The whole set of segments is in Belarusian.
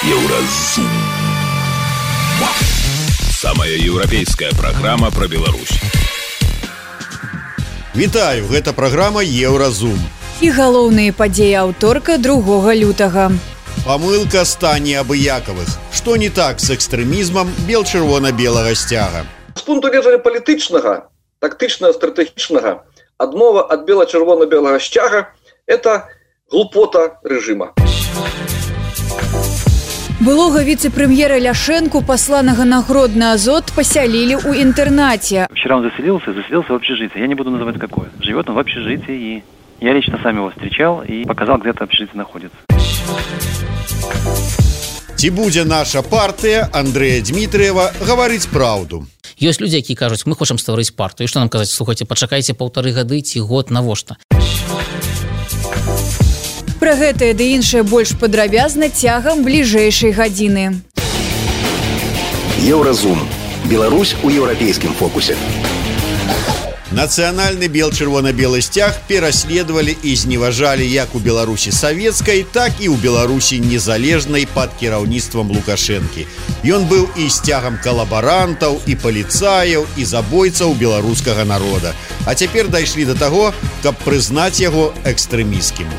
Еўразум. Самая еўрапейская праграма пра Беларусь. Вітаю, гэта праграма Еўразум. І галоўныя падзеі аўторка 2 лютага. Памылка стане абыякавых. Што не так з экстрэмізмам бел-чырвона-белага сцяга? З пункту гледжання палітычнага, тактычна-стратэгічнага, адмова ад бела-чырвона-белага сцяга – это глупота рэжыма. Былога віцэ-прэм'ера Ляшэнку, пасланага на Гродны Азот, пасялілі ў інтэрнаце. Вчера он заселился в общежитие. Я не буду называть какое. Живет он в общежитии, и я лично сам его встречал и показал, где это общежитие находится. Ці будзе наша партыя Андрэя Дмітриева гаварыць праўду? Ёсць людзі, якія кажуць, мы хочам стварыць партыю. І што нам казаць? Слухайце, пачакайце 1,5 гады ці год, навошта? Пра гэтае ды іншае больш падрабязна цягам бліжэйшай гадзіны. Еўразум. Беларусь у еўрапейскім фокусе. Нацыянальны бел-чырвона-белы сцяг пераследавалі і зневажалі як у Беларусі савецкай, так і ў Беларусі незалежнай пад кіраўніцтвам Лукашэнкі. Ён быў і сцягам калабарантаў, і паліцаяў, і забойцаў беларускага народа. А цяпер дайшлі да таго, каб прызнаць яго экстрэміскім.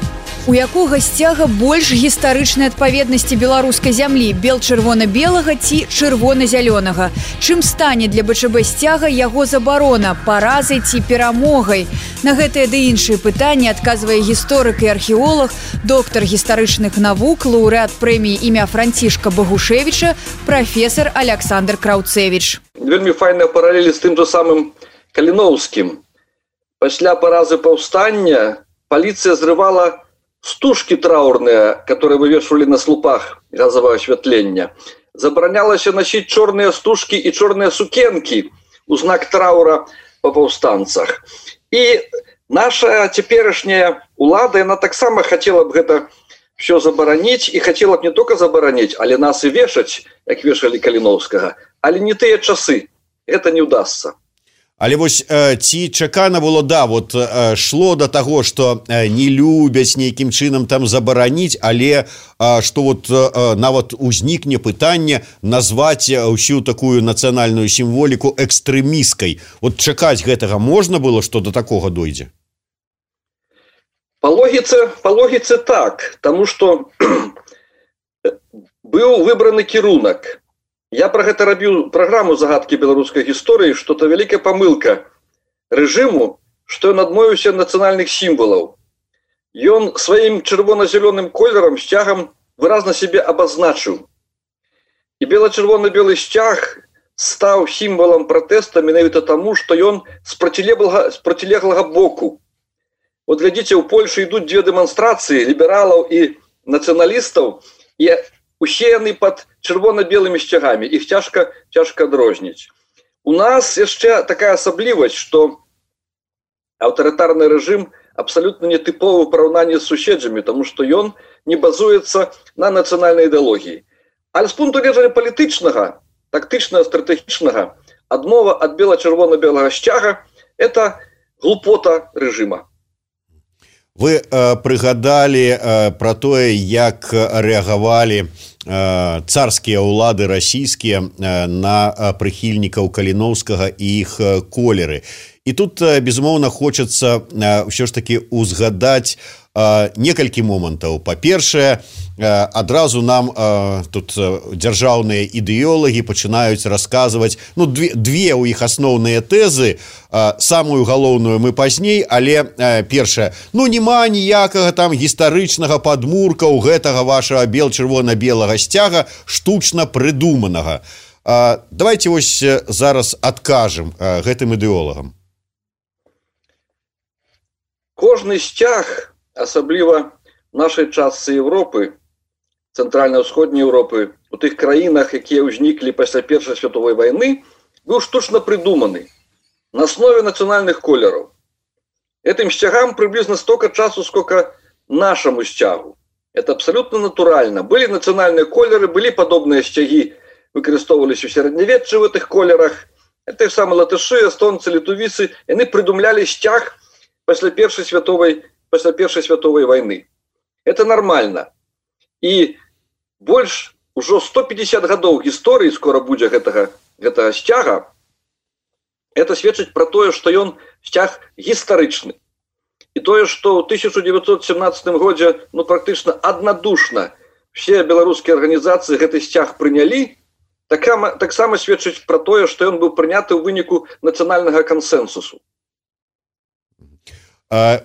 У якога сцяга больш гістарычнай адпаведнасці беларускай зямлі – бел-чырвона-белага ці чырвона-зялёнага? Чым стане для БЧБ сцяга яго забарона, паразай ці перамогай? На гэтыя ды іншыя пытанні адказвае гісторык і археолог, доктар гістарычных навук, лаўрэат прэміі імя Францішка Багушевіча, прафесар Аляксандр Краўцевіч. Вельмі файныя паралелі з тым же самым Каліноўскім. Пасля паразы паўстання паліцыя зрывала стужки траурные, которые вывешивали на слупах газового осветления. Забранялось носить черные стужки и черные сукенки у знак траура по повстанцах. И наша теперешняя улада, она так само хотела бы это все забаронить, и хотела бы не только забаронить, але нас и вешать, как вешали Калиновского, але не те часы. Это не удастся. Але вось ці чакана было, шло до таго, што не любяць нейкім чынам там забараніць, але што нават узнікне пытанне назваць ўсю такую нацыянальную сімволіку экстрэміскай. Чакаць гэтага можна было, што до такога дойдзе? По логіцы так, таму што быў выбраны кірунак. Я про гэта рабіў праграму загадкі беларускай гісторыі, што это вялікая памылка рэжыму, што ён адмовіўся ад нацыянальных сімвалаў. Ён сваім чырвона-зялёным колерам, сцягам выразна сябе абазначыў. І бела-чырвона-белы сцяг стаў сімвалам пратэста менавіта таму, што ён з процілеглага боку. Глядзіце, у Польшы ідуць 2 дэманстрацыі лібералаў і нацыяналістаў, і усе яны пад чырвона-белымі сцягамі, іх цяжка адрозніць. У нас яшчэ такая асаблівасць, што аўтарытарны рэжым абсалютна не тыповы ў параўнанні з суседзямі, таму што ён не базуецца на нацыянальнай ідэалогіі. Але з пункту гледжання палітычнага, тактычна-стратэгічнага, адмова ад бела-чырвона-белага сцяга – это глупота рэжыма. Вы прыгадалі пра тое, як рэагавалі царскія ўлады расійскія на прыхільнікаў Каліноўскага і іх колеры. І тут, безумоўна, хочацца ўсё ж такі узгадаць некалькі момантаў. Па-першае, адразу нам тут дзяржаўныя ідэолагі пачынаюць расказваць, две ў іх асноўныя тэзы, самую галоўную мы пазней, але першае, нема ніякага там гістарычнага падмурка ў гэтага вашага бел-чырвона-белага сцяга штучна прыдуманага. Давайте вось зараз адкажам гэтым ідэолагам. Кожны сцяг, асабліва нашай частцы Европы, цэнтральна-ўсходняй Европы, у тых краінах, якія ўзніклі пасля Першай световой вайны, быў штучна прыдуманы на основе нацыянальных колераў. Этим сцягам приблизно столько часу, сколько нашему стягу. Это абсолютно натурально. Были национальные колеры, были подобные стяги, выкористовывались у средневечча в этих колерах. Это же самые латыши, эстонцы, литовицы. И они придумляли стяг после Первой световой войны. Это нормально. И больше ужо 150 гадоў гісторыі скора будзе гэтага сцяга, это сведчыць пра тое, што ён сцяг гістарычны. І тое, што ў 1917 годзе практычна аднадушна все беларускія арганізацыі гэты сцяг прынялі, таксама сведчыць пра тое, што ён быў прыняты ў выніку нацыянальнага кансэнсусу.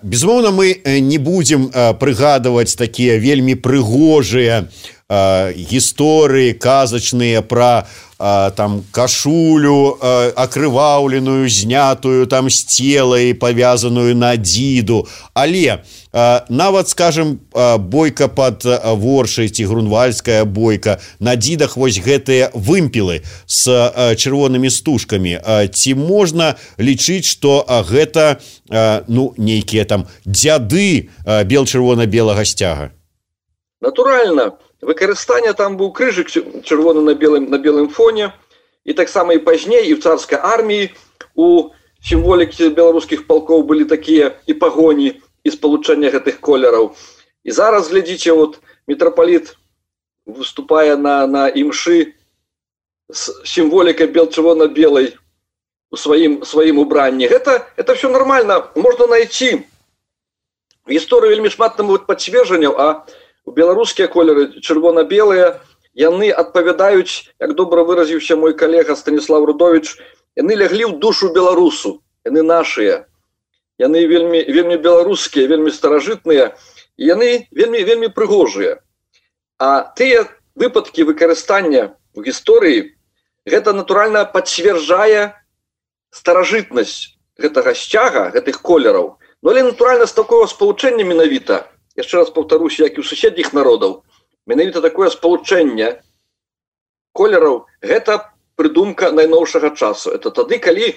Безумоўна, мы не будзем прыгадваць такія вельмі прыгожыя гісторыі казачныя пра там кашулю акрываўленую, знятую там з цела і павязаную на дзіду, але нават, скажем, бойка пад Воршай ці грунвальская бойка, на дзідах вось гэтыя вымпелы з чырвонымі стужкамі, ці можна лічыць, што гэта нейкія там дзяды бел-чырвона-белага сцяга? Натуральна, выкарыстанне там быў крыжык чырвоны на белым фоне, і таксама і пазней, і ў царскай арміі у сімволікі беларускіх палкоў былі такія і пагоні, і спалучэнне гэтых колераў. І зараз, глядзіце, мітрапаліт выступае на імшы з сімволікай бел-чырвона-белай у сваім убранні. Это все нормально, можна найти. В гісторыі вельмі шмат там пацверджанняў, а беларускія колеры чырвона-белыя, яны адпавядаюць, як добра выразіўся мой калега Станіслав Рудовіч, яны ляглі ў душу беларусу, яны нашыя. Яны вельмі беларускія, вельмі старажытныя, і яны вельмі прыгожыя. А тыя выпадкі выкарыстання ў гісторыі, гэта натуральна пацверджае старажытнасць гэтага сцяга, гэтых колераў. Але натуральна з такого спалучэння менавіта, яшчэ раз паўтаруся, як і ў суседніх народаў, менавіта такое спалучэнне колераў, гэта прыдумка найноўшага часу. Это тады, калі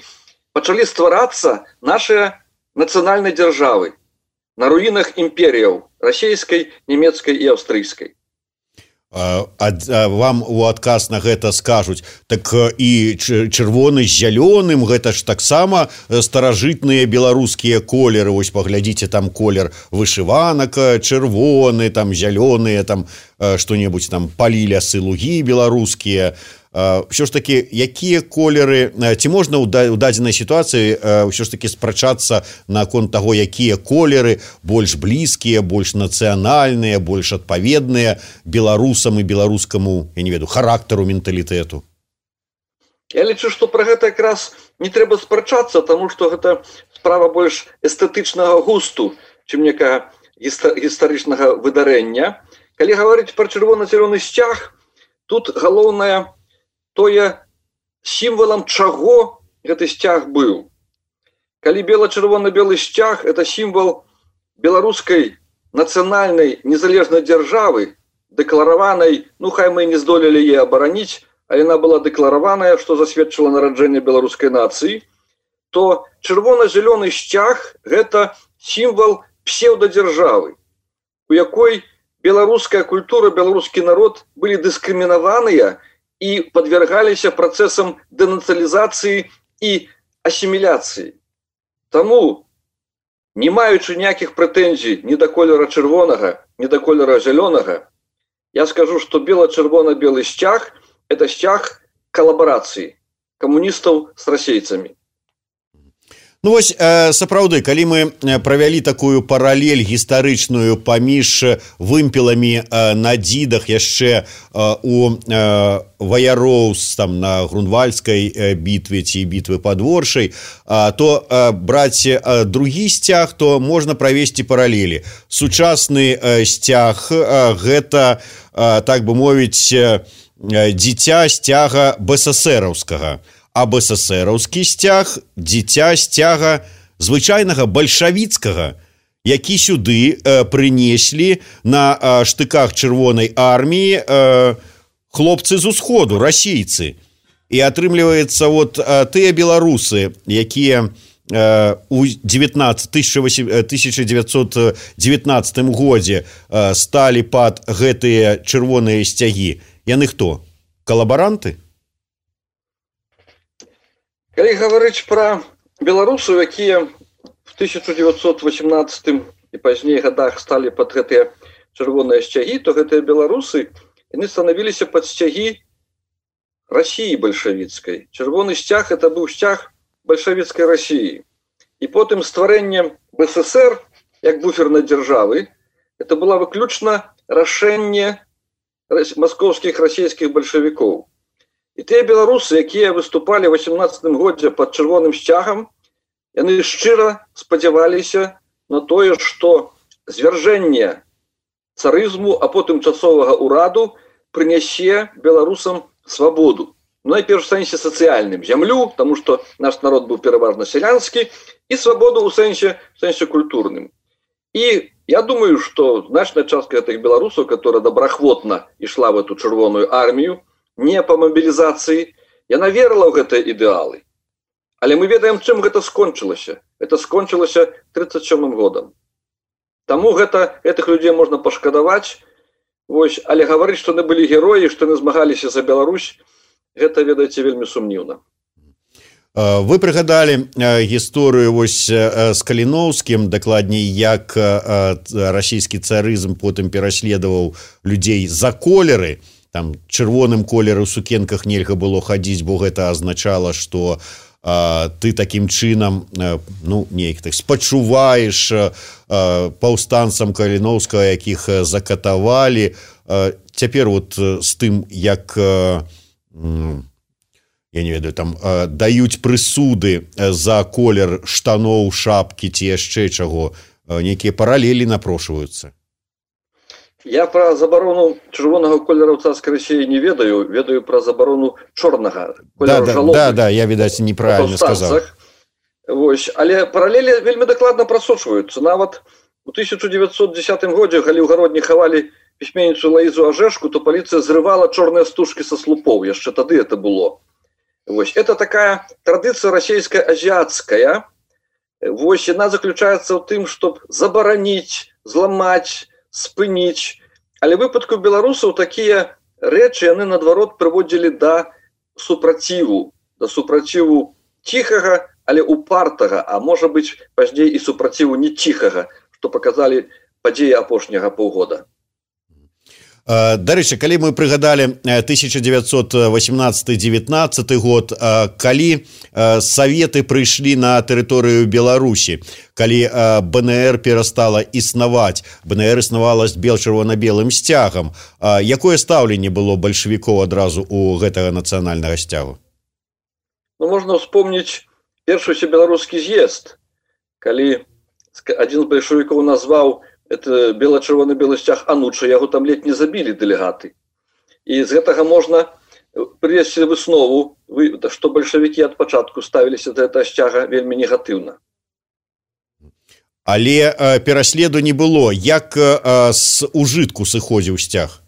пачалі стварацца нашыя нацыянальнай дзяржавы на руінах імперіяў расійскай, нямецкай і аўстрыйскай. Вам у адказ на гэта скажуць, так і чырвоны з зялёным, гэта ж таксама старажытныя беларускія колеры. Вось паглядзіце, там колер вышыванак чырвоны, там зялёныя, там што-небудзь там палі лясы лугі беларускія. Ўсё ж такі, якія колеры, ці можна ў дадзенай сітуацыі ўсё ж такі спрачацца наконт таго, якія колеры больш блізкія, больш нацыянальныя, больш адпаведныя беларусам і беларускаму, я не ведаю, характару, менталітэту? Я лічу, што пра гэта якраз не трэба спрачацца, таму што гэта справа больш эстэтычнага густу, чым некага гістарычнага выдарэння. Калі гаварыць пра чырвона-зялёны сцяг, тут галоўнае тое, сімвалам чаго гэты сцяг быў. Калі бела-чырвона-белы сцяг – это сімвал беларускай нацыянальнай незалежнай дзяржавы, дэклараванай, хай мы не здолелі яе абараніць, а яна была дэклараваная, што засведчыла нараджэнне беларускай нацыі, то чырвона-зялёны сцяг – гэта сімвал псеўдадзяржавы, у якой беларуская культура, беларускі народ былі дыскрымінаваныя і падвяргаліся працэсам дэнацыялізацыі і асіміляцыі. Таму, не маючы ніякіх прэтэнзій ні да колера чырвонага, ні да колера зялёнага, я скажу, што бела-чырвона-белы сцяг – это сцяг калабарацыі камуністаў з расейцамі. Вось, сапраўды, калі мы правялі такую паралель гістарычную паміж вымпеламі на дзідах яшчэ у ваяроў там на грунвальскай бітве ці бітвы пад Воршай, то браць другі сцяг, то можна правесці паралелі. Сучасны сцяг – гэта, так бы мовіць, дзіця сцяга бэсэсэраўскага. А бэсэсэраўскі сцяг – дзіця сцяга звычайнага бальшавіцкага, які сюды прынеслі на штыках чырвонай арміі хлопцы з усходу, расейцы. І атрымліваецца, тыя беларусы, якія у 1919 годзе сталі пад гэтыя чырвоныя сцягі, яны хто? Калабаранты? Калі гаварыць пра беларусаў, якія в 1918 і пазней гадах сталі пад гэтыя чырвоныя сцягі, то гэтыя беларусы яны становіліся пад сцягі России большевицкой. Чырвоны сцяг это быў сцяг большевицкой России. И потым стварэнне БССР як буферной державы это было выключна рашэнне московских российских большевиков. И те белорусы, якія выступали в 18 годзе под чырвоным сцягам, яны шчыра спадзяваліся на тое, что звяржэнне царызму, а потым часовага ураду прынясе беларусам свабоду. Найперш в сэнсе сацыяльным, зямлю, потому что наш народ был пераважна сялянскі, и свободу у сэнсе культурным. И я думаю, что значная частка этих белорусов, которая добраахвотна ішла в эту чырвоную армию, не по мобилизации, яна верила в гэтыя ідэалы. Але мы ведаем, чым гэта скончылася. Это скончылася 37 годом. Таму гэтых людей можно пашкадаваць, вось, але гаварыць, што яны былі героі, што яны змагаліся за Беларусь, гэта, ведаеце, вельмі сумнеўна. Вы прыгадалі гісторыю вось з Каліноўскім, дакладней, як расійскі царызм потым пераследаваў людзей за колеры. Там чырвоным колеры ў сукенках нельга было хадзіць, бо гэта азначала, што ты такім чынам неяк так спачуваеш паўстанцам Каліноўскага, якіх закатавалі. Цяпер вот з тым, як я не ведаю, там даюць прысуды за колер штаноў, шапкі ці яшчэ чаго, нейкія паралелі напрошваюцца. Я про забарону чырвонага колера ў царскай России не ведаю, ведаю про забарону чорнага колеру жалобы. Да, я, відаць, неправильно сказал. Вось, але паралелі вельмі дакладна прасочваюцца. Нават у 1910 годзе, калі ў гародні хавалі пісьменніцу Лаізу Ажэшку, то паліцыя зрывала чорныя стужкі са слупоў. Яшчэ тады это было. Вось, это такая традыцыя расійская азіатская. Вось, яна заключаецца ў тым, чтобы забараніць, зламаць, спыніць. Але ў выпадку беларусаў такія рэчы яны наадварот прыводзілі да супраціву ціхага, але упартага, а можа быць пазней і супраціву не ціхага, што паказалі падзеі апошняга паўгода. Дарэчы, калі мы прыгадалі 1918-19 год, калі саветы прыйшлі на тэрыторыю Беларусі, калі БНР перастала існаваць, БНР існавала з чырвона-белым сцягам, якое стаўленне было бальшавікоў адразу у гэтага нацыянальнага сцягу? Можна ўспомніць першы беларускі з'езд, калі адзін з бальшавікоў назваў это бело-чырвоны-белы сцяг ануча, яго там ледь не забілі дэлегаты. І з гэтага можна прывесці выснову, што бальшавікі ад пачатку ставіліся да гэтага сцяга вельмі негатыўна. Але пераследу не было. Як з ужытку сыходзіў сцяг?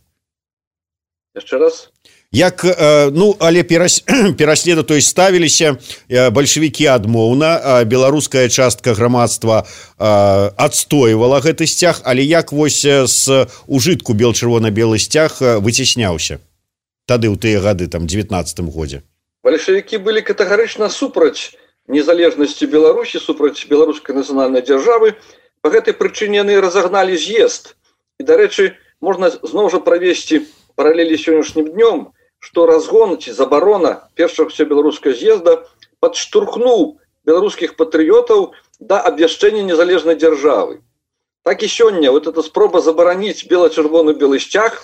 Яшчэ раз? Але пераследу, то есть ставіліся бальшавікі адмоўна, беларуская частка грамадства адстойвала гэты сцяг, але як вось з ужытку чырвона-белы сцяг выцісняўся тады ў тыя гады, там, 19 годзе? Бальшавікі былі катэгарычна супраць незалежнасці Беларусі, супраць беларускай нацыянальнай дзяржавы. Па гэтай прычыне яны разагналі з'езд. І, дарэчы, можна зноў жа правесці паралелі сённяшнім днём, што разгон ці забарона першага беларускага з'езда падштурхнуў беларускіх патрыётаў да абвяшчэння незалежнай дзяржавы. Так і сёння вот эта спроба забараніць чырвона-белы сцяг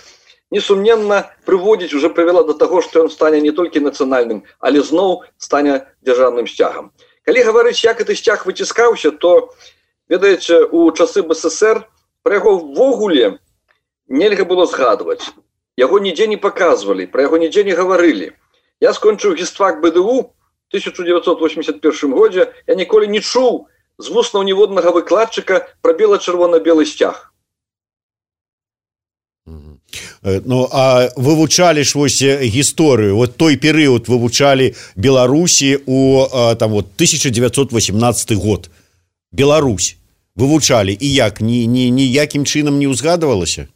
несумненна прывяла до таго, што ён стане не толькі нацыянальным, але зноў стане дзяржаўным сцягам. Калі гаварыць, як гэты сцяг выціскаўся, то, ведаеце, у часы БССР пра яго ўвогуле нельга было згадваць. Яго нідзе не паказвалі, пра яго нідзе не гаварылі. Я скончыў гістфак БДУ в 1981 годзе, я ніколі не чуў з вуснаў ніводнага выкладчыка пра чырвона-белы сцяг. А вывучалі ж вось гісторыю, вот той перыяд вывучалі Беларусі у 1918 год. Беларусь вывучалі, і як, ніякім чынам не ўзгадвалася?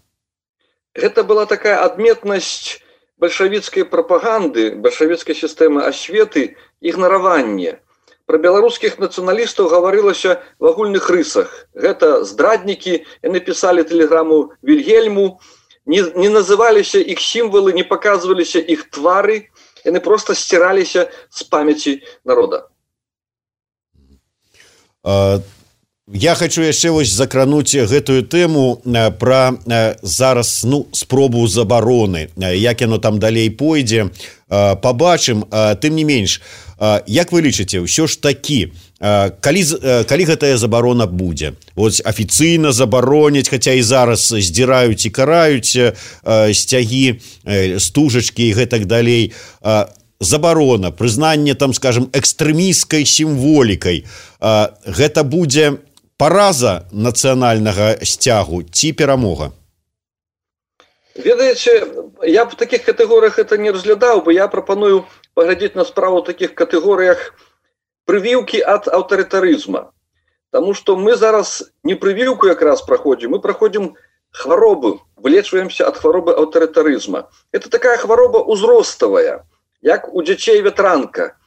Гэта была такая адметнасць бальшавіцкай прапаганды, бальшавіцкай сістэмы асветы, ігнараванне. Пра беларускіх нацыяналістаў гаварылася в агульных рысах. Гэта здраднікі, яны пісалі тэлеграму Вільгельму, не называліся іх сімвалы, не паказваліся іх твары, яны проста сціраліся з памяці народа. Я хочу яшчэ вось закрануць гэтую тэму пра зараз спробу забароны, як яно там далей пойдзе, пабачым. Тым не менш, як вы лічыце, ўсё ж такі, калі гэтая забарона будзе, вось афіцыйна забароняць, хаця і зараз здзіраюць і караюць сцягі, стужачкі і гэтак далей, забарона, прызнанне там, скажем, экстрэмісцкай сімволікай, гэта будзе параза нацыянальнага сцягу ці перамога? Ведаеце, я б в такіх катэгорыях это не разглядаў, бо я прапаную паглядзець на справу ў такіх катэгорыях прывіўкі ад аўтарытарызма. Таму што мы зараз не прывіўку якраз праходзім, мы праходзім хваробу, вылечваемся ад хваробы аўтарытарызма. Это такая хвароба ўзроставая, як у дзяцей ветранка.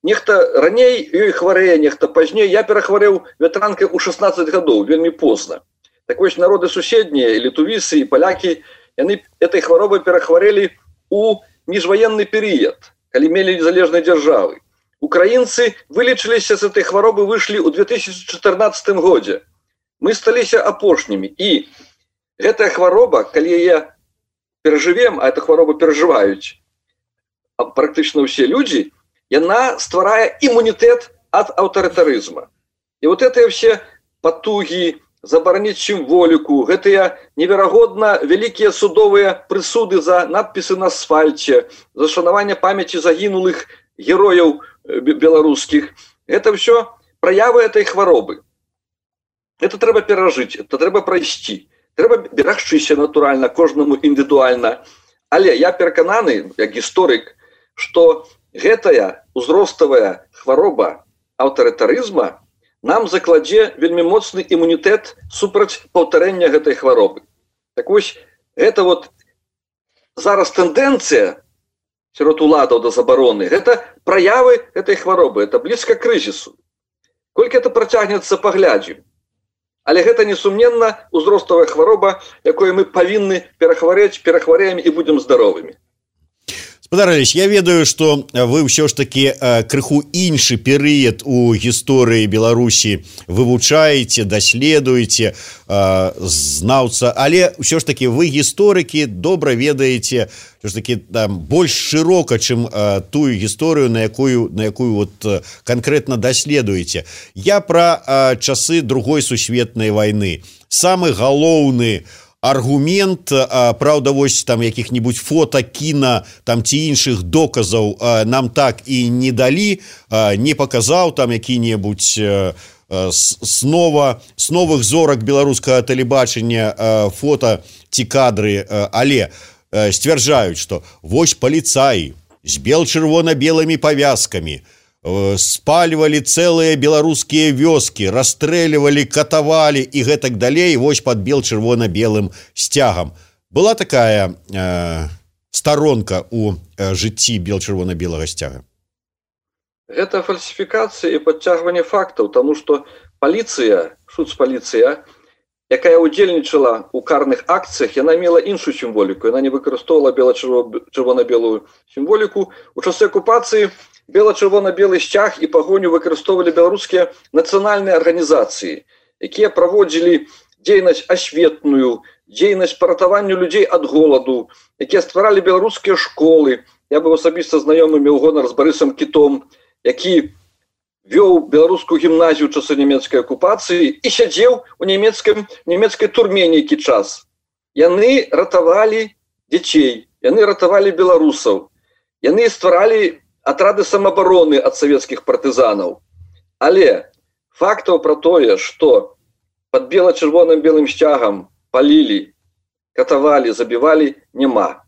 Нехта раней ёй хварэе, нехта пазней. Я перахварэў ветранкай у 16 гадоў, вельмі позна. Так вось народы суседнія, і літувісы, і палякі, яны этой хваробай перахварэлі у міжваенны перыяд, калі мелі незалежнай дзяржавы. Украінцы вылечыліся з этой хваробы, выйшлі ў 2014 годзе. Мы сталіся апошнімі. І гэтая хвароба, калі яе перажывем, а эта хвароба перажываюць практычна ўсе людзі, яна стварае імунітэт ад аўтарытарызма. І вот гэтыя все патугі, забараніць сімволіку, гэтыя неверагодна вялікія судовыя прысуды за надпісы на асфальце, за шанаванне памяці загінулых герояў беларускіх, гэта ўсё праявы этой хваробы. Это трэба перажыць, это трэба прайсці. Трэба берагчыся, натуральна, кожнаму індывідуальна. Але я перакананы, як гісторык, што гэтая ўзроставая хвароба аўтарытарызма нам закладзе вельмі моцны імунітэт супраць паўтарэння гэтай хваробы. Так вось, гэта вот зараз тэндэнцыя сярод уладаў да забароны, гэта праявы гэтай хваробы, это блізка к крызісу. Колькі это працягнецца, паглядзім. Але гэта несумненна ўзроставая хвароба, якой мы павінны перахварэць, перахварэем і будзем здаровымі. Спадар Алесь, я ведаю, што вы ўсё ж такі крыху іншы перыяд у гісторыі Беларусі вывучаеце, даследуеце, знаўца, але ўсё ж такі вы гісторыкі добра ведаеце ўсё ж такі больш шырока, чым тую гісторыю, на якую вот канкрэтна даследуеце. Я пра часы Другой сусветнай вайны. Самы галоўны аргумент, правда, вось там якіх-небудзь фота, кіна, там ці іншых доказаў нам так і не далі, не паказаў там які-небудзь з новых зорак беларускага тэлебачання фота ці кадры, але сцвярджаюць, што вось паліцаі з бел-чырвона-белымі павязкамі спальвалі цэлыя беларускія вёскі, расстрэльвалі, катавалі і гэтак далей, вось пад бел-чырвона-белым сцягам. Была такая старонка у жыцці бел-чырвона-белага сцяга? Гэта фальсіфікацыя і падцягванне фактаў, таму што паліцыя, шуцпаліцыя, якая ўдзельнічала ў карных акцыях, яна мела іншую сімволіку, яна не выкарыстоўвала бела-чырвона-белую сімволіку. У часы акупацыі бела-чырвона-белы сцяг і пагоню выкарыстоўвалі беларускія нацыянальныя арганізацыі, якія праводзілі дзейнасць асветную, дзейнасць па ратаванню людзей ад голаду, якія стваралі беларускія школы. Я быў асабіста знаёмы, меў гонар з Барысам Кітом, які вёў беларускую гімназію ў часы нямецкай акупацыі і сядзеў у нямецкай турме нейкі час. Яны ратавалі дзяцей, яны ратавалі беларусаў, яны стваралі атрады самаабароны ад савецкіх партызанаў. Але фактаў пра тое, што пад бела-чырвоным-белым сцягам палілі, катавалі, забівалі, няма.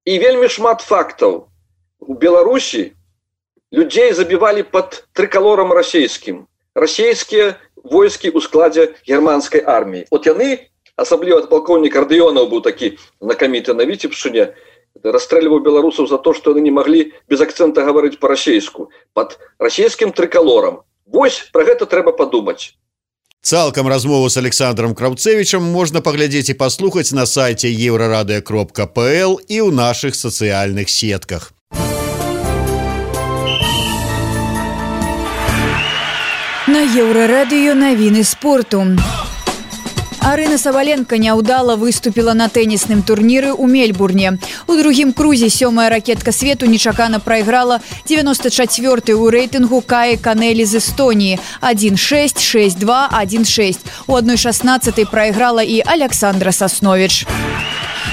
І вельмі шмат фактаў. У Беларусі людзей забівалі пад трыкалорам расейскім. Расейскія войскі ў складзе германскай арміі. От яны, асабліва палкоўнік Ардыёнаў быў такі знакаміты на Віцебшчыне, расстрэльваў беларусаў за то, што яны не маглі без акцэнта гаварыць па-расейску, пад расейскім трыкалорам. Вось пра гэта трэба падумаць. Цалкам размову с Александром Краўцевичем можно поглядеть и послухать на сайте euroradio.pl и у наших социальных сетках. На Еўрарадыё навіны спорту. Арына Сабаленко няўдала выступила на теннисным турніры ў Мельбурне. У другім крузе сёмая ракетка свету нечакана прайграла 94-й у рэйтынгу Каі Канелі з Эстоніі 1-6, 6-2, 1-6. У 1-16 прайграла і Александра Сасновіч.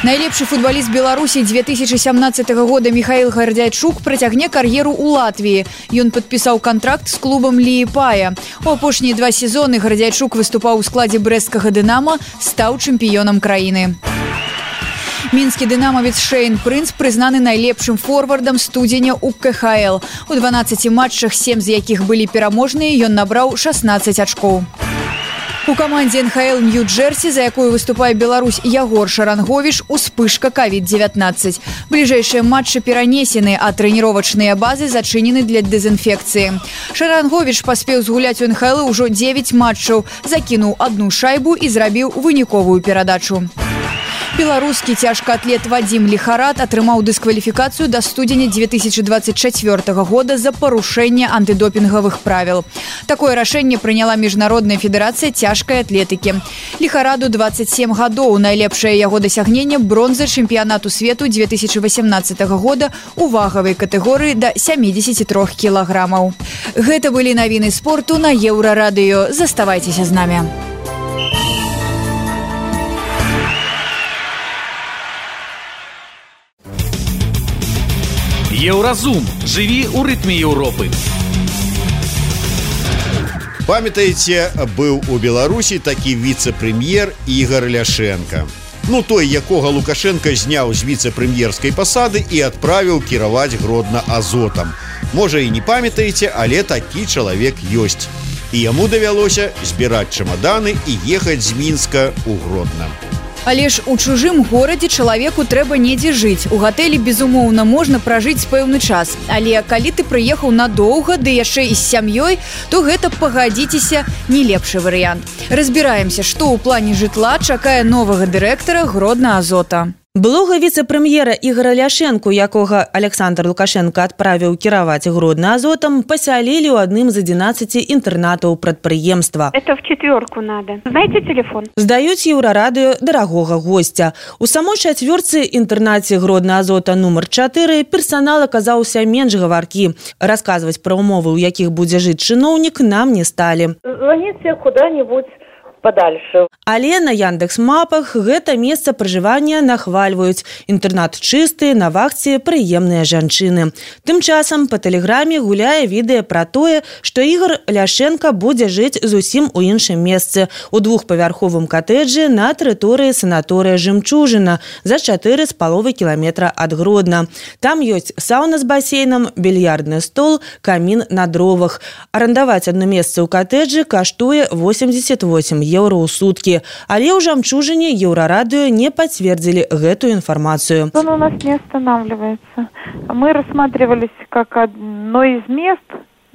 Найлепшы футбаліст Беларусі 2017 года Михаил Гардзячук працягне кар'еру ў Латвіі. Ён падпісаў кантракт з клубам Ліепая. У апошнія 2 сезоны Гардзячук выступаў у складзе брэсцкага Дынама, стаў чэмпіёнам краіны. Мінскі дынамавец Шэйн Прынц прызнаны найлепшым форвардам студзеня ў КХЛ. У 12 матчах, 7 з якіх былі пераможныя, ён набраў 16 ачкоў. У камандзе НХЛ Нью-Джерсі, за якую выступае Беларусь, Ягор Шаранговіч, успышка COVID-19. Бліжэйшыя матчы перанесены, а трэніровачныя базы зачынены для дэзінфекцыі. Шаранговіч паспеў згуляць у НХЛ ужо 9 матчаў, закінуў 1 шайбу і зрабіў выніковую перадачу. Беларускі цяжкаатлет Вадзім Ліхарат атрымаў дыскваліфікацыю да студзеня 2024 года за парушэнне антыдопінгавых правіл. Такое рашэнне прыняла Міжнародная федэрацыя цяжкай атлетыкі. Ліхараду 27 гадоў. Найлепшае яго дасягненне бронза чэмпіянату свету 2018 года у вагавай катэгорыі да 73 кілаграмаў. Гэта былі навіны спорту на Еўрарадыё. Заставайцеся з намі. Еўразум. Жыві ў рытме Еўропы. Памятаеце, быў у Беларусі такі віцэ-прэм'ер Ігор Ляшенко. Той, якога Лукашенко зняў з віцэ-прэм'ерскай пасады і адправіў кіраваць Гродна Азотам. Можа і не памятаеце, але такі чалавек ёсць. І яму давялося збіраць чамаданы і ехаць з Мінска ў Гродна. Але ж у чужым горадзе чалавеку трэба недзе жыць. У гатэлі, безумоўна, можна пражыць пэўны час. Але калі ты прыехаў надоўга, ды яшчэ і з сям'ёй, то гэта, пагадзіцеся, не лепшы варыянт. Разбіраемся, што ў плане жытла чакае новага дырэктара Гродна Азота. Былога віцэ-прэм'ера Ігора Ляшенко, якога Александр Лукашенко адправіў кіраваць Гродна Азотам, пасялілі ў адным з 11 інтэрнатаў прадпрыемства. Это в 4 надо. Знаете телефон? Здаюць Еўрарадыё дарагога госця. У самой 4-цы інтэрнаце Гродна Азота нумар 4 персанал аказаўся менш гаваркі. Расказваць пра умовы, у якіх будзе жыць чыноўнік, нам не сталі. Звоните куда-нибудь подальше. Але на Яндекс.Мапах гэта месца пражывання нахвальваюць. Інтэрнат чысты, на вахце прыемныя жанчыны. Тым часам па тэлеграме гуляе відэа пра тое, што Ігор Ляшенко будзе жыць зусім у іншым месцы, у 2-павярховым катэджы на тэрыторыі санаторыя «Жэмчужына» за 4,5 кіламетра ад Гродна. Там ёсць сауна з басейнам, більярдны стол, камін на дровах. Арандаваць адно месца ў катэджы каштуе 88 евро ў суткі. Але ў Жэмчужыне Еўрарадыё не пацвердзілі гэтую інфармацыю. Он у нас не останавливается. Мы рассматривались как одно из мест,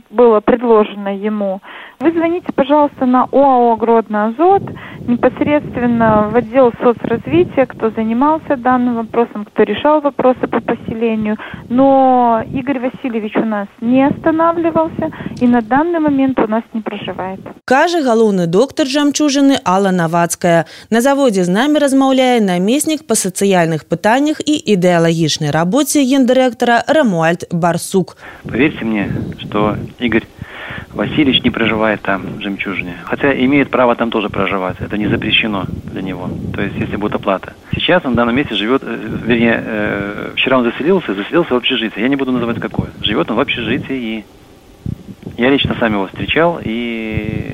было предложено ему. Вы звоните, пожалуйста, на ОАО «Гродно Азот», непосредственно в отдел соцразвития, кто занимался данным вопросом, кто решал вопросы по поселению. Но Игорь Васильевич у нас не останавливался и на данный момент у нас не проживает. Кажа галоўны доктар Жэмчужыны Алла Навацкая. На заводзе з намі размаўляе намеснік па сацыяльных пытаннях і ідэалагічнай рабоце гендырэктара Рамуальд Барсук. Поверьте мне, что Игорь Васильевич не проживает там, в Жемчужине. Хотя имеет право там тоже проживать. Это не запрещено для него. То есть, если будет оплата. Сейчас он в данном месте живет, вчера он заселился в общежитие. Я не буду называть какое. Живет он в общежитии. И я лично сам его встречал и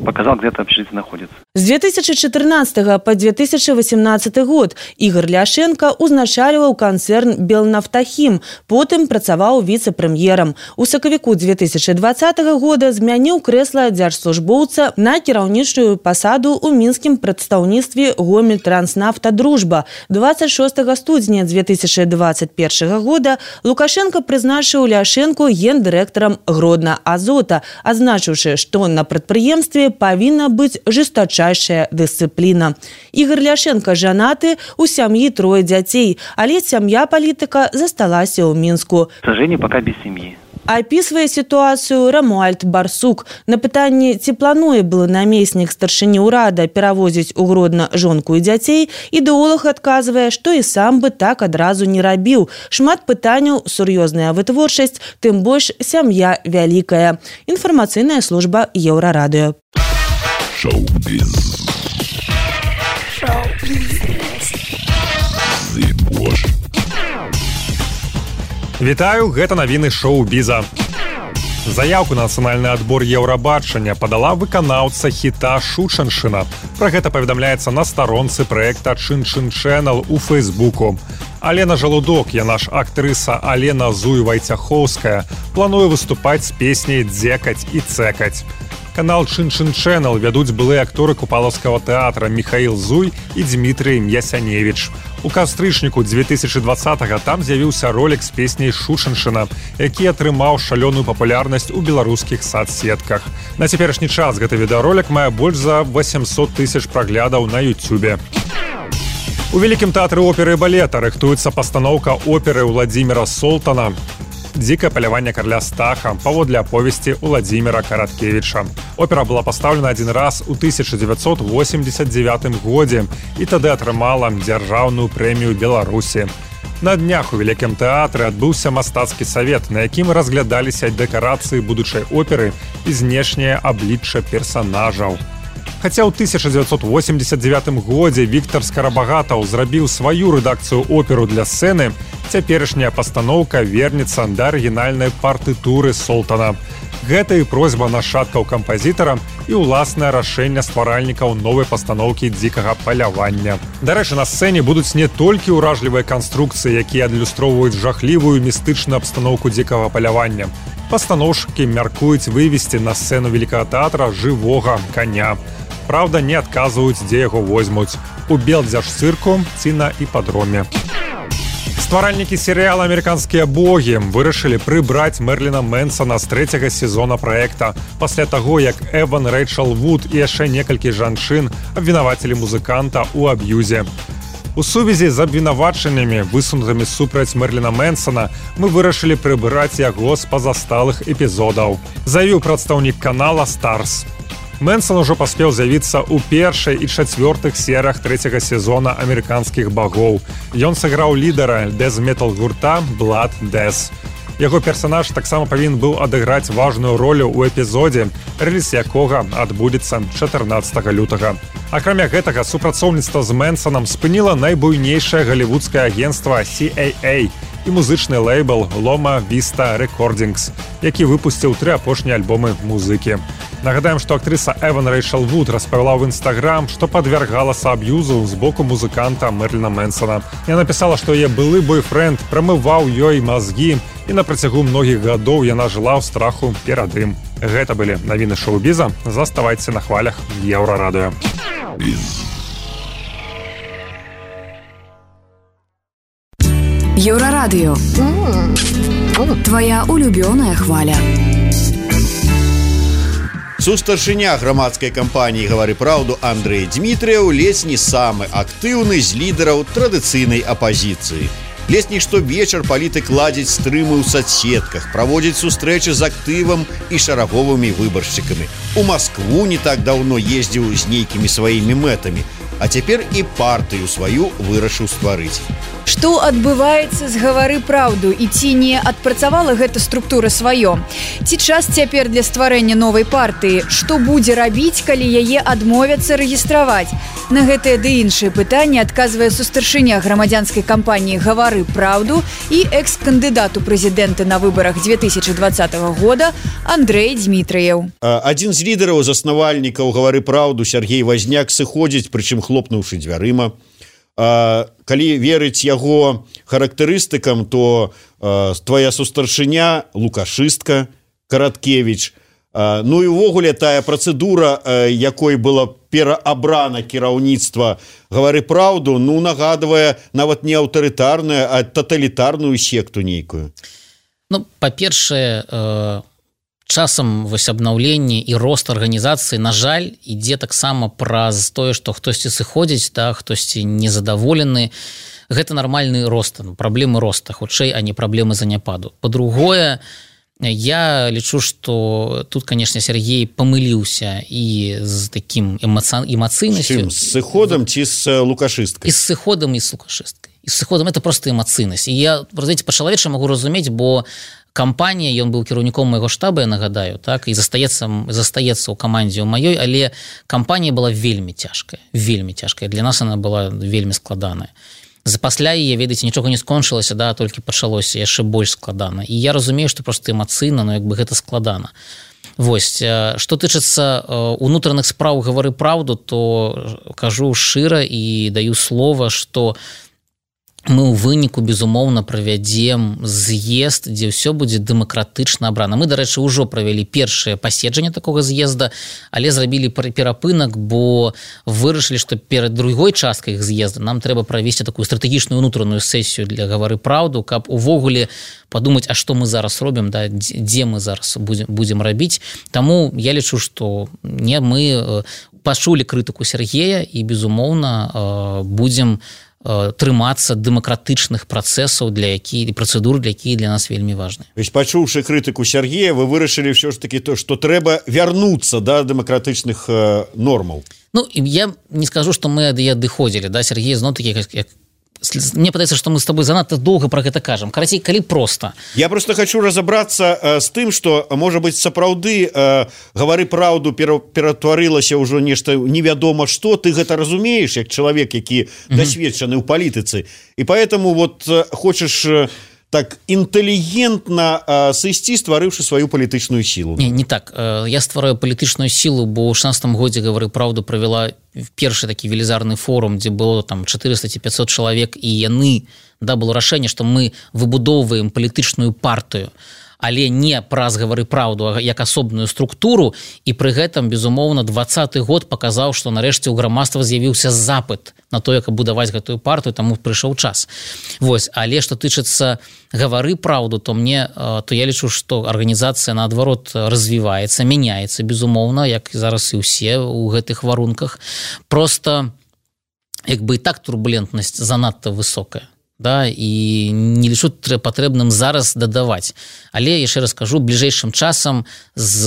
показал, где это общежитие находится. С 2014 по 2018 год Ігор Ляшенко узначальваў канцэрн «Белнафтахім», потым працаваў віцэ-прэм'ерам. У сакавіку 2020 года змяніў крэсла дзяржслужбоўца на кіраўнічую пасаду ў мінскім прадстаўніцтве «Гомельтранснафта-Дружба». 26 студзеня 2021 года Лукашенко прызначыў Ляшенко гендырэктарам Гродна-Азота, адзначыўшы, што на прадпрыемстве павінна быць жестачайшая дысцыпліна. Ігор Ляшенко жанаты, у сям'і 3 дзяцей, але сям'я палітыка засталася ў Мінску. К сожалению, пока без семьи. Опісвае сітуацыю Рамуальд Барсук. На пытанне, ці плануе былы намеснік старшыні ўрада перавозіць у Гродна жонку і дзяцей, ідэолог адказвае, што і сам бы так адразу не рабіў. Шмат пытанняў, сур'ёзная вытворчасць, тым больш сям'я вялікая. Інфармацыйная служба Еўрарадыё. Шоу-біз. Вітаю, гэта навіны шоу-біза. Заявку на нацыянальны адбор Еўрабачання падала выканаўца хіта «Шучаншчына». Пра гэта паведамляецца на старонцы праекта «Чын-Чын Чэнэл» у Фэйсбуку. Алена Жалудок, яна ж актрыса Алена Зуй-Вайцяхоўская, плануе выступаць з песняй «Дзекаць і цэкаць». Канал «Чын-Чын Чэнэл» вядуць былыя акторы Купалаўскага тэатра Михаил Зуй і Дмітрый М'ясяневіч. У кастрычніку 2020-го там з'явіўся ролик з песняй «Шучаншчына», які атрымаў шалёную папулярнасць у беларускіх сацсетках. На цяперашні час гэты відэаролик мае больш за 800 000 праглядаў на YouTube. У Вялікім тэатры оперы і балета рыхтуецца пастаноўка оперы Владзіміра Солтана «Дзікае паляванне караля Стаха» паводле аповесці Владзіміра Караткевіча. Опера была пастаўлена адзін раз у 1989 годзе і тады атрымала дзяржаўную прэмію Беларусі. На днях у Вялікім тэатры адбыўся мастацкі савет, на якім разглядаліся дэкарацыі будучай оперы і знешняе аблічча персанажаў. Хаця ў 1989 годзе Віктар Скарабагатаў зрабіў сваю рэдакцыю оперу для сцэны, цяперашняя пастаноўка вернецца да арыгінальнай партытуры Солтана. Гэта і просьба нашчадкаў кампазітара і ўласнае рашэнне стваральнікаў новай пастаноўкі «Дзікага палявання». Дарэчы, на сцэне будуць не толькі ўражлівыя канструкцыі, якія адлюстроўваюць жахлівую містычную абстаноўку «Дзікага палявання». Пастаноўшчыкі мяркуюць вывесці на сцэну Вялікага тэатра жывога каня. Праўда, не адказваюць, дзе яго возьмуць – у Белдзяржцырку ці на іпадроме. Стваральнікі серыяла «Амерыканскія богі» вырашылі прыбраць Мерліна Мэнсона з 3-го сезона праекта пасля таго, як Эван Рэйчел Вуд і яшчэ некалькі жанчын абвінавацілі музыканта ў аб'юзе. У сувязі з абвінавачаннямі, высунутымі супраць Мерліна Мэнсона, мы вырашылі прыбраць яго з пазасталых эпізодаў, заявіў прадстаўнік канала «Старс». Мэнсон ужо паспеў з'явіцца ў 1-й і 4-х серыях 3-го сезона «Амерыканскіх багоў». Ён сыграў лідара дэз-метал гурта «Blood Death». Яго персанаж таксама павінен быў адыграць важную ролю ў эпізодзе, рэліз якога адбудзецца 14 лютага. Акрамя гэтага, супрацоўніцтва з Мэнсонам спыніла найбуйнейшае галівудскае агенцтва CAA і музычны лейбл Loma Vista Recordings, які выпусціў 3 апошнія альбомы музыкі. Нагадаем, што актрыса Эван Рэйчел Вуд распавяла ў Інстаграм, што падвяргалася аб'юзу з боку музыканта Мерліна Мэнсона. Яна напісала, што яе былы бойфрэнд прамываў ёй мазгі, і на працягу многіх гадоў яна жыла ў страху перад ім. Гэта былі навіны шоу-біза. Заставайцеся на хвалях Еўрарадыё. Еўрарадыё. Твоя улюбёная хваля. Сустаршыня грамадскай кампаніі «Гавары праўду» Андрэй Дмітрыяў ледзь не самы актыўны з лідараў традыцыйнай апазіцыі. Ледзь не штовечар палітык ладзіць стрымы ў сацсетках, праводзіць сустрэчы з актывам і шараговымі выбаршчыкамі. У Маскву не так даўно ездзіў з нейкімі сваімі мэтамі, а цяпер і партыю сваю вырашыў стварыць. Што адбываецца з гавары праўду і ці не адпрацавала гэта структура сваё? Ці час цяпер для стварэння новай партыі? Што будзе рабіць, калі яе адмовяцца рэгістраваць? На гэтыя ды іншыя пытанні адказвае сустаршыня грамадзянскай кампаніі «Гавары праўду» і экс-кандыдат у прэзідэнты на выбарах 2020 года Андрэй Дмітрыеў. Адзін з лідараў заснавальнікаў «Гавары праўду» Сергей Возняк сыходзіць, прычым хлопнуўшы дзвярыма. Калі верыць яго характарыстыкам, то твоя сустаршыня Лукашыстка Караткевіч. Ну і ўвогуле тая працэдура, якой было пераабрана кіраўніцтва «Гавары праўду», ну нагадвае нават не аўтарытарную, а таталітарную секту нейкую. Ну, па-першае, часам вось абнаўленне і рост арганізацыі, на жаль, ідзе таксама праз тое, што хтосьці сыходзіць, да, хтосьці незадаволены. Гэта нармальны рост, праблемы роста, хутчэй, а не праблемы заняпаду. Па-другое, я лічу, што тут, канешне, Сергей памыліўся і з такім эмацыйнасцю. З сыходам ці з Лукашысткай? І з сыходам, і з Лукашысткай. І з сыходам это проста эмацыйнасць. І я, разумееце, па-чалавеча магу разумець, бо кампанія, ён быў кіраўніком майго штаба, я нагадаю, так, і застаецца ў камандзе ў маёй, але кампанія была вельмі цяжкая. Для нас она была вельмі складаная. Пасля яе, ведаеце, нічога не скончылася, да, толькі пачалося яшчэ больш складана. І я разумею, што проста эмацыйна, ну, як бы гэта складана. Вось, што тычыцца унутраных спраў «Гавары праўду», то кажу шчыра і даю слова, што мы ў выніку, безумоўна, правядзем з'езд, дзе ўсё будзе дэмакратычна абрана. Мы, дарэчы, ўжо правялі першае паседжанне такога з'езда, але зрабілі перапынак, бо вырашылі, што перад другой часткай іх з'езда нам трэба правесці такую стратэгічную унутраную сесію для «Гавары праўду», каб увогуле падумаць, а што мы зараз робім, да, дзе мы зараз будзем рабіць. Таму я лічу, што мы пачулі крытыку Сергея і, безумоўна, будзем трымацца дэмакратычных працэсаў, працэдур, якія для нас вельмі важныя. Пачуўшы крытыку Сергея, вы вырашылі ўсё ж такі то, што трэба вярнуцца да дэмакратычных нормаў. Ну, я не скажу, што мы ад яе адыходзілі, да, Сергей зноў-такі, як мне падаецца, што мы з тобой занадта доўга пра гэта кажам. Карацей, калі проста. Я просто хочу разабрацца з тым, што, можа быць, сапраўды «Гавары праўду» ператварылася ўжо нешта невядома што. Ты гэта разумееш, як чалавек, які дасведчаны ў палітыцы. І поэтому вот хочаш так інтэлігентна сысці, стварыўшы сваю палітычную сілу. Не так. Я ствараю палітычную сілу, бо ў 16 годзе «Гавары праўду» правяла першы такі велізарны форум, дзе было там 400 ці 500 чалавек, і яны, да, было рашэнне, што мы выбудоўваем палітычную партыю, але не праз «Гавары праўду», а як асобную структуру, і пры гэтым, безумоўна, 20-й год паказаў, што нарэшце ў грамадства з'явіўся запыт на тое, каб будаваць гэтую партыю, таму прыйшоў час. Вось, але што тычыцца «Гавары праўду», то я лічу, што арганізацыя, наадварот, развіваецца, мяняецца, безумоўна, як зараз і ўсе ў гэтых варунках. Проста, як бы і так турбулентнасць занадта высокая. Да, і не лічу патрэбным зараз дадаваць. Але, яшчэ раз кажу, бліжэйшым часам з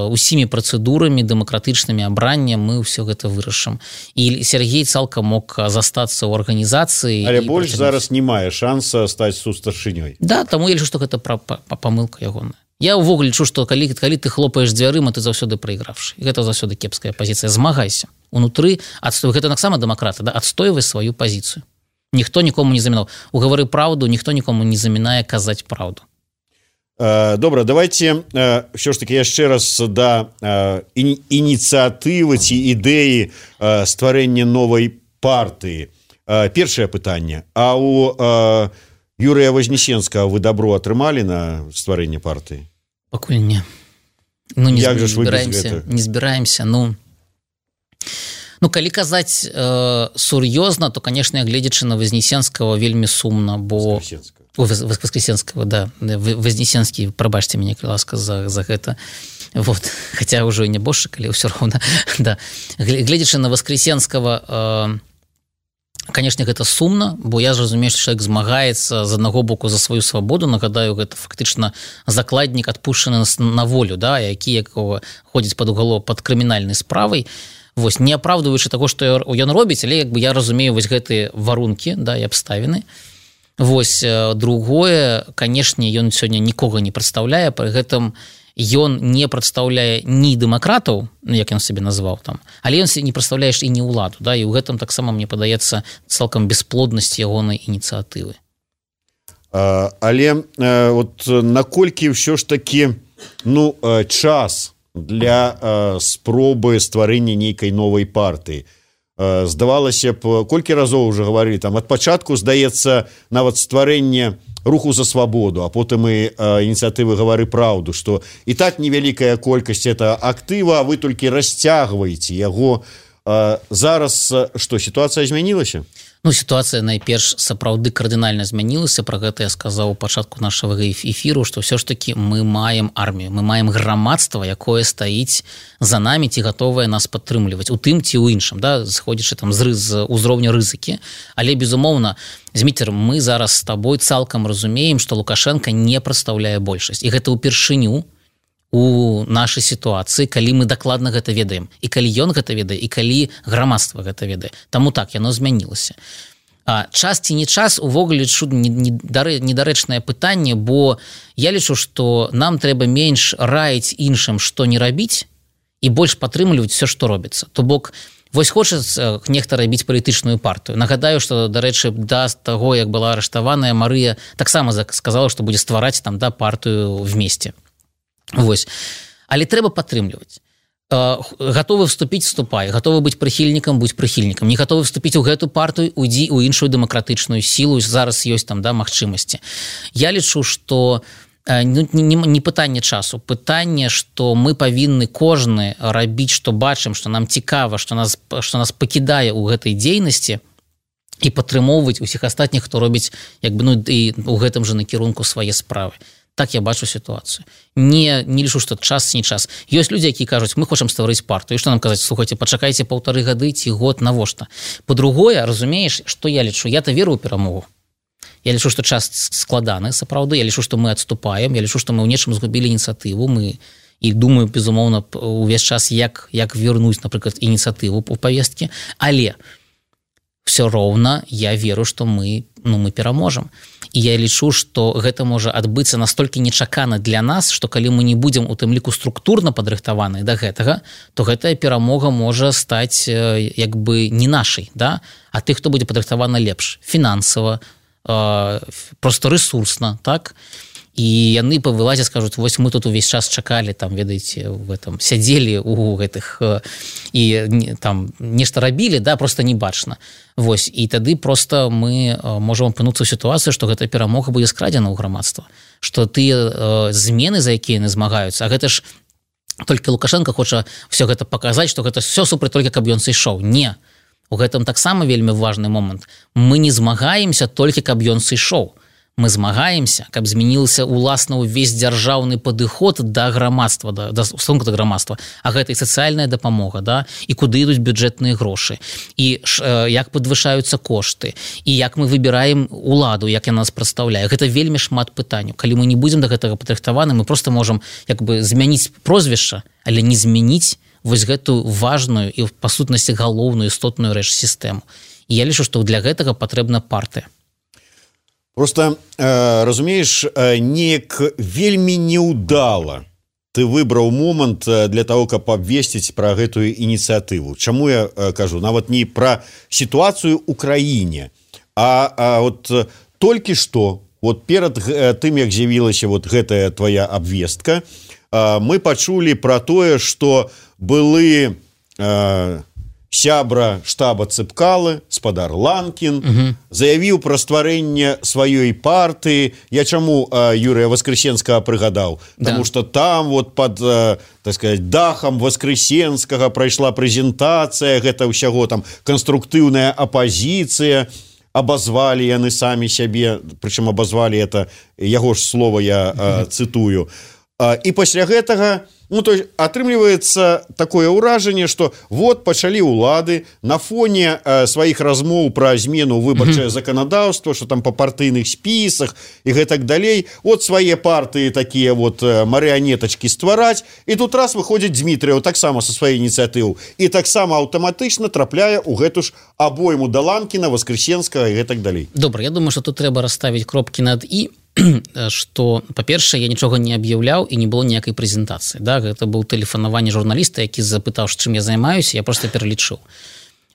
усімі працэдурамі дэмакратычнымі абрання мы ўсё гэта вырашым. І Сергей цалкам мог застацца ў арганізацыі. Але больш зараз не мае шанса стаць сустаршынёй. Да, таму я лічу, што гэта памылка ягоная. Я ўвогуле лічу, што калі ты хлопаеш дзвярыма, ты заўсёды прайгравшы. І гэта заўсёды кепская пазіцыя. Змагайся. Унутры адстойвай. Гэта таксама дэмакраты, да? Адстойвай сваю пазіцыю. Ніхто нікому не замінаў. У «Гавары праўду» ніхто нікому не замінае казаць праўду. Добра, давайте ўсё ж таки яшчэ раз да ініцыятывы ці ідэі стварэння новай партыі. Першае пытанне. А у Юрыя Вознесенскага вы добро атрымалі на стварэнне партыі? Пакуль не. Ну, не збіраемся. Ну, калі казаць сур'ёзна, то, конечно, гледзячы на Вознесенскага, вельмі сумна, бо... Воскресенского, да. Вознесенскі, прабачце мяне, ласка, за гэта. Вот. Хаця ўжо і нябожчык, але ўсё роўна. Да. Гледзячы на Воскресенскага, конечно, гэта сумна, бо я разумею, што чалавек змагаецца з аднаго боку за сваю свабоду. Нагадаю, гэта фактычна закладнік, адпушчаны на волю, да, які ходзіць пад крымінальнай справай. вось не апраўдваючы таго што ён робіць, але як бы я разумею вось гэтыя варункі, да, і абставіны. Вось другое, канешне, ён сёння нікога не прадстаўляе, пры гэтым ён не прадстаўляе ні дэмакратаў, як ён сабе назваў там, але ён не прадстаўляеш і не ўладу, да, і ў гэтым таксама мне падаецца цалкам бясплоднасць ягонай ініцыятывы. Але вот наколькі ўсё ж такі час для спробы стварэння нейкай новай партыі. Здавалася б, колькі разоў уже гаварылі, там ад пачатку, здаецца, нават стварэнне руху за свабоду, а потым і ініцыятывы «Гавары праўду», што і так невялікая колькасць это актыва, а вы толькі расцягваеце яго. Зараз што, сітуацыя змянілася? Сітуацыя найперш сапраўды кардынальна змянілася, пра гэта я сказаў у пачатку нашага эфіру, што ўсё ж такі мы маем армію, мы маем грамадства, якое стаіць за намі ці гатовае нас падтрымліваць у тым ці ў іншым, да, сходзячы там з узроўня рызыкі. Але безумоўна, Зміцер, мы зараз з табой цалкам разумеем, што Лукашенко не прадстаўляе большасць, і гэта ўпершыню у нашай сітуацыі, калі мы дакладна гэта ведаем, і калі ён гэта ведае, і калі грамадства гэта ведае. Таму так, яно змянілася. Час ці не час, увогуле лічу недарэчнае пытанне, бо я лічу, што нам трэба менш раіць іншым, што не рабіць, і больш падтрымліваць все, што робіцца. То бок, вось хочацца нехта рабіць палітычную партыю. Нагадаю, што, дарэчы, да таго, як была арыштаваная, Марыя таксама сказала, што будзе ствараць там, да, партыю вместе. Вось. Але трэба падтрымліваць. Гатовы вступіць, вступай, гатовы быць прыхільнікам, будь прыхільнікам, не гатовы вступіць у гэту партыю, уйдзі ў іншую дэмакратычную сілу, зараз ёсць там, да, магчымасці. Я лічу, што не пытанне часу, пытанне, што мы павінны кожны рабіць, што бачым, што нам цікава, што нас пакідае ў гэтай дзейнасці, і падтрымоўваць усіх астатніх, хто робіць як бы, і ў гэтым жа накірунку свае справы. Так я бачу сітуацыю. Не лічу, што час, не час. Ёсць людзі, якія кажуць, мы хочам стварыць партыю. І што нам казаць? Слухайце, пачакайце 1,5 гады ці год, навошта? Па-другое, разумееш, што я лічу? Я-то веру ў перамогу. Я лічу, што час складаны, сапраўды. Я лічу, што мы адступаем. Я лічу, што мы ў нечым згубілі ініцыятыву. І думаю, безумоўна, увесь час, як вернуць, напрыклад, ініцыятыву ў павесткі. Але все роўна я веру, што мы пераможам. І я лічу, што гэта можа адбыцца настолькі нечакана для нас, што калі мы не будзем у тым ліку структурна падрыхтаваныя да гэтага, то гэтая перамога можа стаць як бы не нашай, да? А тых, хто будзе падрыхтаваны лепш, фінансава, просто ресурсна, так? І яны павылазяць, скажуць, вось мы тут увесь час чакалі, там, ведаеце, сядзелі у гэтых і там нешта рабілі, да, просто не бачна. Вось, і тады просто мы можам апынуцца ў сітуацыі, што гэтая перамога будзе скрадзена ў грамадства, што тыя змены, за якія яны змагаюцца, а гэта ж толькі Лукашенко хоча все гэта паказаць, што гэта все супраць толькі, каб ён сышоў. Не. У гэтым таксама вельмі важны момант. Мы не змагаемся толькі, каб ён сышоў. Мы змагаемся, каб змянілася ўласна ўвесь дзяржаўны падыход да грамадства, да стосунку да грамадства, а гэта і сацыяльная дапамога, да, і куды ідуць бюджэтныя грошы, і як падвышаюцца кошты, і як мы выбіраем уладу, як яна нас прадстаўляе. Гэта вельмі шмат пытанняў. Калі мы не будзем да гэтага падрыхтаваны, мы проста можам як бы змяніць прозвішча, але не змяніць вось гэтую важную і па сутнасці галоўную істотную рэч сістэму. І я лічу, што для гэтага патрэбна партыя. Просто, разумееш, неяк вельмі неўдала ты выбраў момант для того, каб абвесціць пра гэтую ініцыятыву. Чаму я кажу? Нават не пра сітуацыю ў краіне, а вот толькі што, вот перад тым, як з'явілася вот гэтая твоя абвестка, мы пачулі пра тое, што былы сябра штаба Цыпкалы, спадар Ланкін, заявіў пра стварэнне сваёй партыі. Я чаму Юрыя Воскресенскага прыгадаў? Таму што там вот под, так сказать, дахам Воскресенскага прайшла прэзентацыя, гэта ўсяго там канструктыўная апазіцыя, абазвалі яны самі сябе, прычым абазвалі это, яго ж слова я цытую. І пасля гэтага Ну, то есть атрымліваецца такое ўражанне, што вот пачалі ўлады на фоне сваіх размоў пра змену выбарчае заканадаўства, што там па партыйных спісах і гэтак далей, от свае партыі такія вот марыянетачкі ствараць, і тут раз выходзіць Дмітрыеў таксама са сваёй ініцыятывы і таксама аўтаматычна трапляе ў гэту ж абойму Даланкіна, Воскресенскага і гэтак далей. Добра, я думаю, што тут трэба расставіць кропкі над «і», што, па-першае, я нічога не аб'яўляў і не было ніякай прэзентацыі. Да? Гэта быў тэлефанаванне журналіста, які запытаў, чым я займаюся, я проста пералічыў.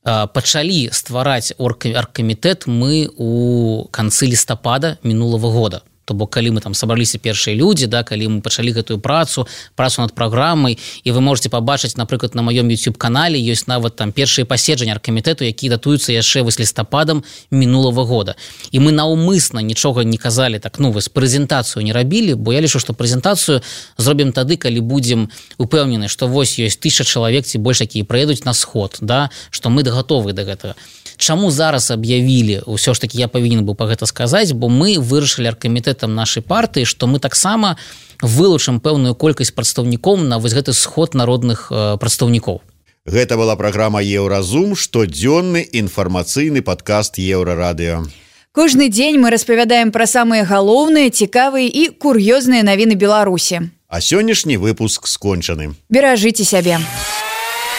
Пачалі ствараць оргкамітэт мы у канцы лістапада мінулага года. То бок, калі мы там сабраліся першыя людзі, да, калі мы пачалі гэтую працу над праграмай, і вы можете пабачыць, напрыклад, на маём YouTube-канале ёсць нават там першыя паседжанні аргкамітэту, якія датуюцца яшчэ лістападам мінулага года. І мы наўмысна нічога не казалі, так, прэзентацыю не рабілі, бо я лічу, што прэзентацыю зробім тады, калі будзем упэўнены, што вось ёсць 1000 чалавек ці больш, якія прыедуць на сход, да, што мы гатовы да гэтага. Чаму зараз аб'явілі, ўсё ж такі я павінен быў па гэта сказаць, бо мы вырашылі аргкамітэтам нашай партыі, што мы таксама вылучым пэўную колькасць прадстаўнікоў на вось гэты сход народных прадстаўнікоў. Гэта была праграма «Еўразум», штодзённы інфармацыйны падкаст Еўрарадыё. Кожны дзень мы распавядаем пра самыя галоўныя, цікавыя і кур'ёзныя навіны Беларусі. А сённяшні выпуск скончаны. Беражыце сябе.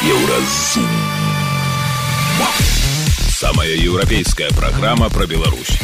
Еўразум. Самая европейская программа про Беларусь.